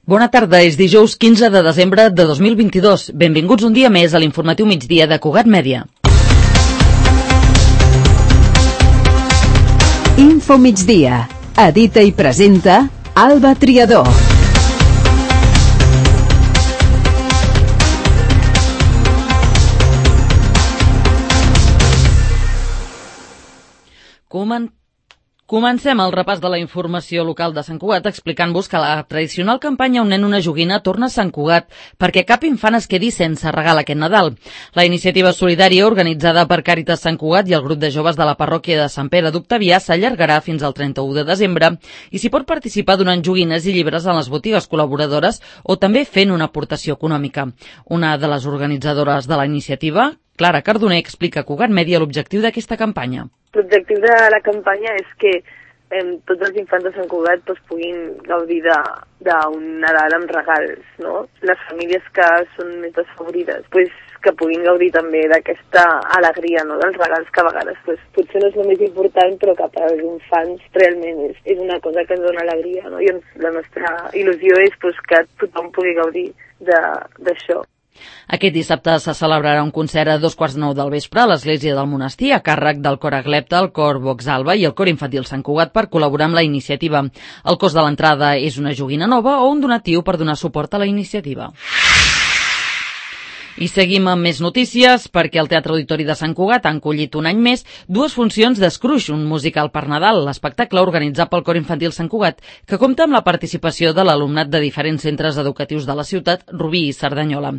Bona tarda, és dijous 15 de desembre de 2022. Benvinguts un dia més a l'informatiu migdia de Cugat Mèdia. Info migdia. Edita i presenta Alba Triador. Comencem el repàs de la informació local de Sant Cugat explicant-vos que la tradicional campanya Un nen, una joguina torna a Sant Cugat perquè cap infant es quedi sense regal aquest Nadal. La iniciativa solidària organitzada per Càritas Sant Cugat i el grup de joves de la parròquia de Sant Pere d'Octavià s'allargarà fins al 31 de desembre i s'hi pot participar donant joguines i llibres en les botigues col·laboradores o també fent una aportació econòmica. Una de les organitzadores de la iniciativa, Clara Cardoner, explica a Cugat Mèdia l'objectiu d'aquesta campanya. L'objectiu de la campanya és que tots els infants de Sant Cugat puguin gaudir d'un Nadal amb regals, no? Les famílies que són més desfavorides, que puguin gaudir també d'aquesta alegria, no? Dels regals que a vegades potser no és el més important, però que per als infants realment és una cosa que ens dona alegria, no? I la nostra il·lusió és que tothom pugui gaudir d'això. Aquest dissabte se celebrarà un concert a 8:45 del vespre a l'església del monestir a càrrec del cor Aglepta, el cor Voxalba i el cor infantil Sant Cugat per col·laborar amb la iniciativa. El cost de l'entrada és una joguina nova o un donatiu per donar suport a la iniciativa. I seguim amb més notícies perquè el Teatre Auditori de Sant Cugat ha encollit un any més dues funcions de Scrooge, un musical per Nadal, l'espectacle organitzat pel Cor Infantil Sant Cugat, que compta amb la participació de l'alumnat de diferents centres educatius de la ciutat, Rubí i Cerdanyola.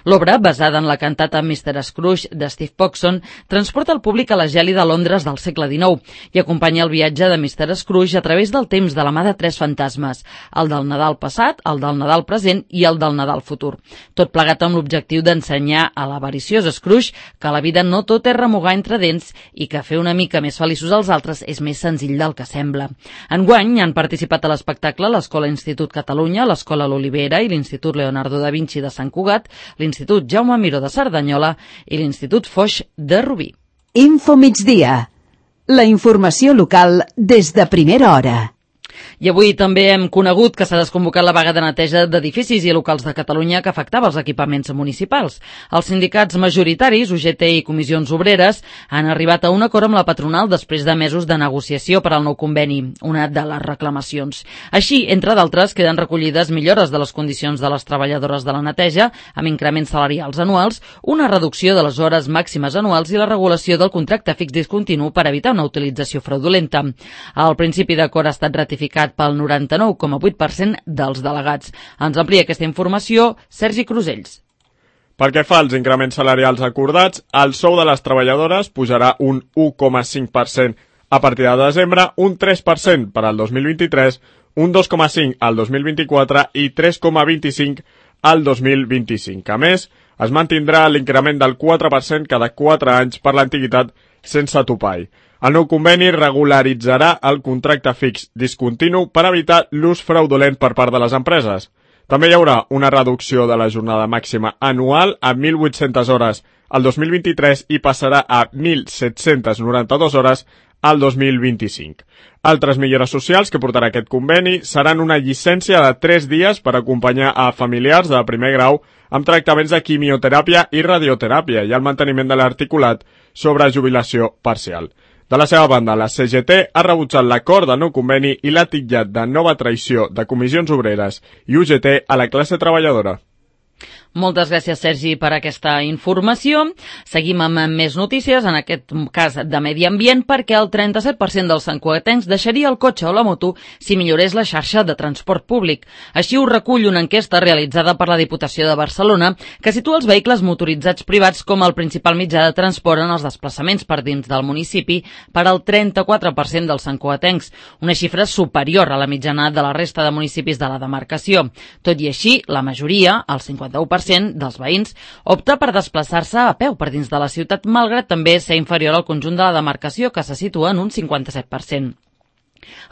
L'obra, basada en la cantata Mr. Scrooge de Steve Pogson, transporta el públic a la gèlida Londres del segle XIX i acompanya el viatge de Mr. Scrooge a través del temps de la mà de tres fantasmes, el del Nadal passat, el del Nadal present i el del Nadal futur. Tot plegat amb l'objectiu d'ensenyar a l'avariciós Scrooge que la vida no tot és remugar entre dents i que fer una mica més feliços als altres és més senzill del que sembla. Enguany han participat a l'espectacle l'Escola Institut Catalunya, l'Escola L'Olivera i l'Institut Leonardo da Vinci de Sant Cugat, l'Institut Jaume Miró de Cerdanyola i l'Institut Foix de Rubí. Info migdia. La informació local des de primera hora. I avui també hem conegut que s'ha desconvocat la vaga de neteja d'edificis i locals de Catalunya que afectava els equipaments municipals. Els sindicats majoritaris, UGT i Comissions Obreres, han arribat a un acord amb la patronal després de mesos de negociació per al nou conveni, una de les reclamacions. Així, entre d'altres, queden recollides millores de les condicions de les treballadores de la neteja, amb increments salarials anuals, una reducció de les hores màximes anuals i la regulació del contracte fix discontinu per evitar una utilització fraudulenta. El principi d'acord ha estat ratificat pel 99,8% dels delegats. Ens amplia aquesta informació Sergi Crusells. Pel que fa als increments salarials acordats, el sou de les treballadores pujarà un 1,5% a partir de desembre, un 3% per al 2023, un 2,5% al 2024 i 3,25% al 2025. A més, es mantindrà l'increment del 4% cada 4 anys per l'antiguitat sense topall. El nou conveni regularitzarà el contracte fix discontinu per evitar l'ús fraudulent per part de les empreses. També hi haurà una reducció de la jornada màxima anual a 1.800 hores al 2023 i passarà a 1.792 hores al 2025. Altres millores socials que portarà aquest conveni seran una llicència de 3 dies per acompanyar a familiars de primer grau amb tractaments de quimioteràpia i radioteràpia i el manteniment de l'articulat sobre jubilació parcial. De la seva banda, la CGT ha rebutjat l'acord de nou conveni i l'ha titllat de nova traïció de Comissions Obreres i UGT a la classe treballadora. Moltes gràcies, Sergi, per aquesta informació. Seguim amb més notícies, en aquest cas de medi ambient, perquè el 37% dels santcugatencs deixaria el cotxe o la moto si millorés la xarxa de transport públic. Així ho recull una enquesta realitzada per la Diputació de Barcelona que situa els vehicles motoritzats privats com el principal mitjà de transport en els desplaçaments per dins del municipi per al 34% dels santcugatencs, una xifra superior a la mitjana de la resta de municipis de la demarcació. Tot i així, la majoria, el 51%, dels veïns opta per desplaçar-se a peu per dins de la ciutat, malgrat també ser inferior al conjunt de la demarcació, que se situa en un 57%.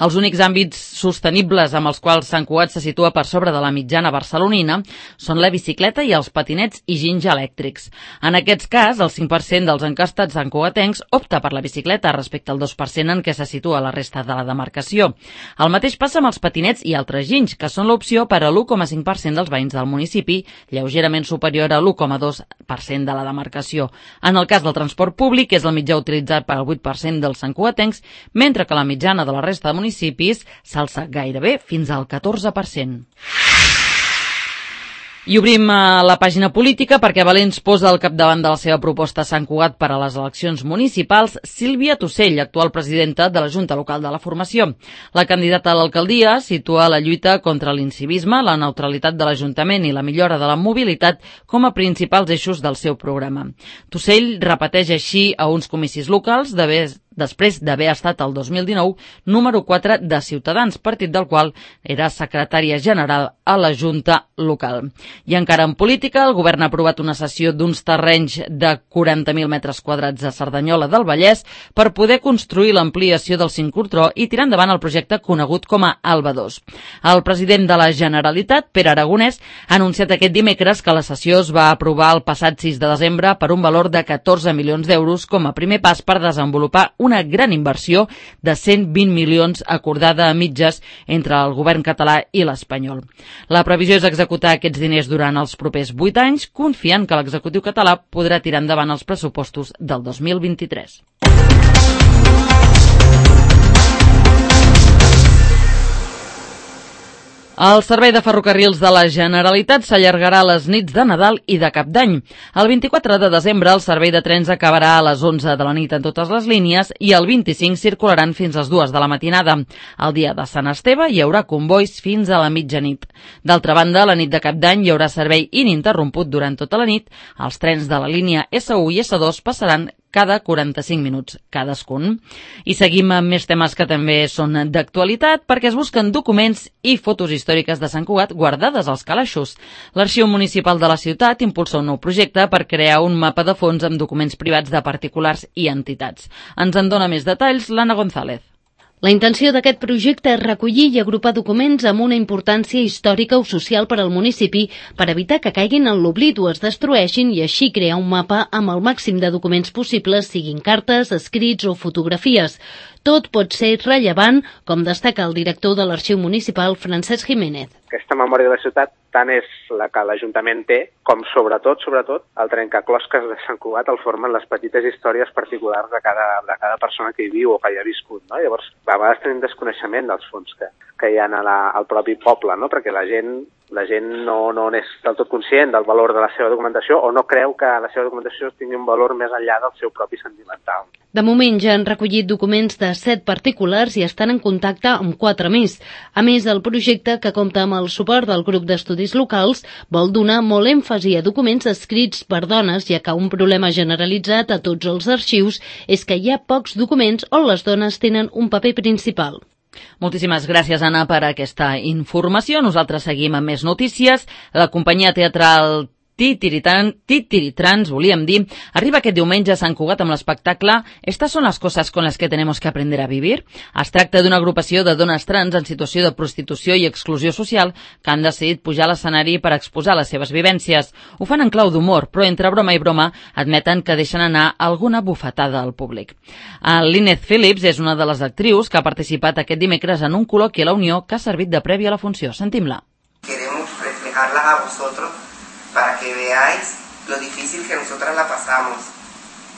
Els únics àmbits sostenibles amb els quals Sant Cugat se situa per sobre de la mitjana barcelonina són la bicicleta i els patinets i ginys elèctrics. En aquest cas, el 5% dels encastats santcugatencs opta per la bicicleta respecte al 2% en què se situa la resta de la demarcació. El mateix passa amb els patinets i altres ginys, que són l'opció per a l'1,5% dels veïns del municipi, lleugerament superior a l'1,2% de la demarcació. En el cas del transport públic, és el mitjà utilitzat per al 8% dels santcugatencs, mentre que la mitjana de la resta de municipis s'alça gairebé fins al 14%. I obrim la pàgina política perquè Valens posa al capdavant de la seva proposta a Sant Cugat per a les eleccions municipals Sílvia Tussell, actual presidenta de la Junta Local de la Formació. La candidata a l'alcaldia situa la lluita contra l'incivisme, la neutralitat de l'Ajuntament i la millora de la mobilitat com a principals eixos del seu programa. Tussell repeteix així a uns comicis locals després d'haver estat el 2019 número 4 de Ciutadans, partit del qual era secretària general a la Junta Local. I encara en política, el govern ha aprovat una cessió d'uns terrenys de 40.000 metres quadrats a Cerdanyola del Vallès per poder construir l'ampliació del sincrotró i tirar endavant el projecte conegut com a Alba 2. El president de la Generalitat, Pere Aragonès, ha anunciat aquest dimecres que la cessió es va aprovar el passat 6 de desembre per un valor de 14 milions d'euros com a primer pas per desenvolupar una gran inversió de 120 milions acordada a mitges entre el govern català i l'espanyol. La previsió és executar aquests diners durant els propers 8 anys, confiant que l'executiu català podrà tirar endavant els pressupostos del 2023. El servei de ferrocarrils de la Generalitat s'allargarà a les nits de Nadal i de Cap d'Any. El 24 de desembre el servei de trens acabarà a les 11 de la nit en totes les línies i el 25 circularan fins a les 2 de la matinada. El dia de Sant Esteve hi haurà convois fins a la mitjanit. D'altra banda, la nit de Cap d'Any hi haurà servei ininterromput durant tota la nit. Els trens de la línia S1 i S2 passaran cada 45 minuts cadascun. I seguim amb més temes que també són d'actualitat perquè es busquen documents i fotos històriques de Sant Cugat guardades als calaixos. L'Arxiu Municipal de la ciutat impulsa un nou projecte per crear un mapa de fons amb documents privats de particulars i entitats. Ens en dona més detalls l'Anna González. La intenció d'aquest projecte és recollir i agrupar documents amb una importància històrica o social per al municipi per evitar que caiguin en l'oblit o es destrueixin i així crear un mapa amb el màxim de documents possibles, siguin cartes, escrits o fotografies. Tot pot ser rellevant, com destaca el director de l'Arxiu Municipal, Francesc Jiménez. Aquesta memòria de la ciutat tant és la que l'Ajuntament té, com sobretot, el trencaclosques de Sant Cugat el formen les petites històries particulars de cada persona que hi viu o que hi ha viscut, no? Llavors, a vegades tenim desconeixement dels fons que hi ha al propi poble, no? Perquè la gent no és del tot conscient del valor de la seva documentació o no creu que la seva documentació tingui un valor més enllà del seu propi sentimental. De moment ja han recollit documents de 7 particulars i estan en contacte amb 4 més. A més, el projecte, que compta amb el suport del grup d'estudis locals, vol donar molt èmfasi a documents escrits per dones, ja que un problema generalitzat a tots els arxius és que hi ha pocs documents on les dones tenen un paper principal. Moltíssimes gràcies, Anna, per aquesta informació. Nosaltres seguim amb més notícies. La companyia teatral Titiritrans, volíem dir, arriba aquest diumenge a Sant Cugat amb l'espectacle «Estas son las cosas con las que tenemos que aprender a vivir». Es tracta d'una agrupació de dones trans en situació de prostitució i exclusió social que han decidit pujar a l'escenari per exposar les seves vivències. Ho fan en clau d'humor, però entre broma i broma admeten que deixen anar alguna bufetada al públic. Lynette Phillips és una de les actrius que ha participat aquest dimecres en un col·loqui a la Unió que ha servit de prèvia a la funció. Sentim-la. Queremos reflejarlas a vosotros para que veáis lo difícil que nosotras la pasamos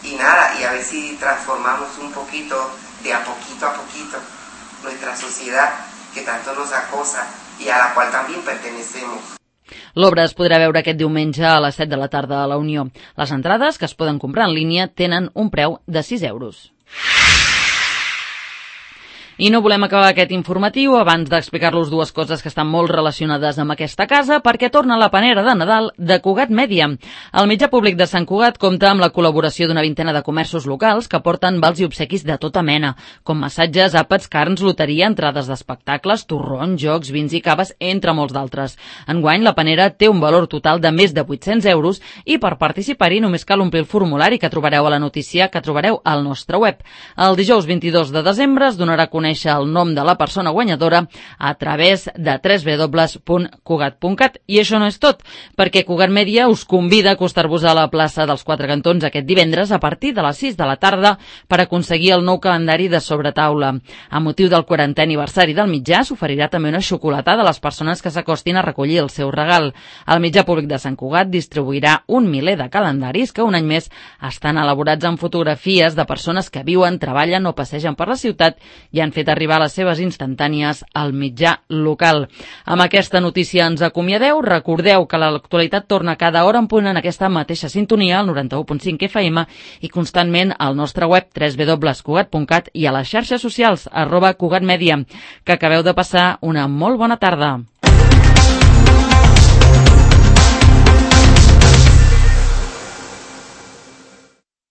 y nada, y a ver si transformamos un poquito, de a poquito, nuestra sociedad que tanto nos acosa y a la cual también pertenecemos. L'obra es podrà veure aquest diumenge a les 7 de la tarda a la Unió. Les entrades, que es poden comprar en línia, tenen un preu de 6 euros. I no volem acabar aquest informatiu abans d'explicar-los dues coses que estan molt relacionades amb aquesta casa, perquè torna la panera de Nadal de Cugat Mèdia. El mitjà públic de Sant Cugat compta amb la col·laboració d'una vintena de comerços locals que porten vals i obsequis de tota mena, com massatges, àpats, carns, loteria, entrades d'espectacles, torrons, jocs, vins i caves, entre molts d'altres. Enguany, la panera té un valor total de més de 800 euros i per participar-hi només cal omplir el formulari que trobareu a la notícia que trobareu al nostre web. El dijous 22 de desembre es donarà a conèixer conèixer el nom de la persona guanyadora a través de www.cugat.cat. I això no és tot, perquè Cugat Mèdia us convida a acostar-vos a la plaça dels Quatre Cantons aquest divendres a partir de les 6 de la tarda per aconseguir el nou calendari de sobretaula. A motiu del 40è aniversari del mitjà s'oferirà també una xocolatada a les persones que s'acostin a recollir el seu regal. El mitjà públic de Sant Cugat distribuirà un miler de calendaris que un any més estan elaborats amb fotografies de persones que viuen, treballen o passegen per la ciutat i han fet arribar les seves instantànies al mitjà local. Amb aquesta notícia ens acomiadeu. Recordeu que l'actualitat torna cada hora en punt en aquesta mateixa sintonia, al 91.5 FM, i constantment al nostre web www.cugat.cat i a les xarxes socials @cugatmedia. Que acabeu de passar una molt bona tarda.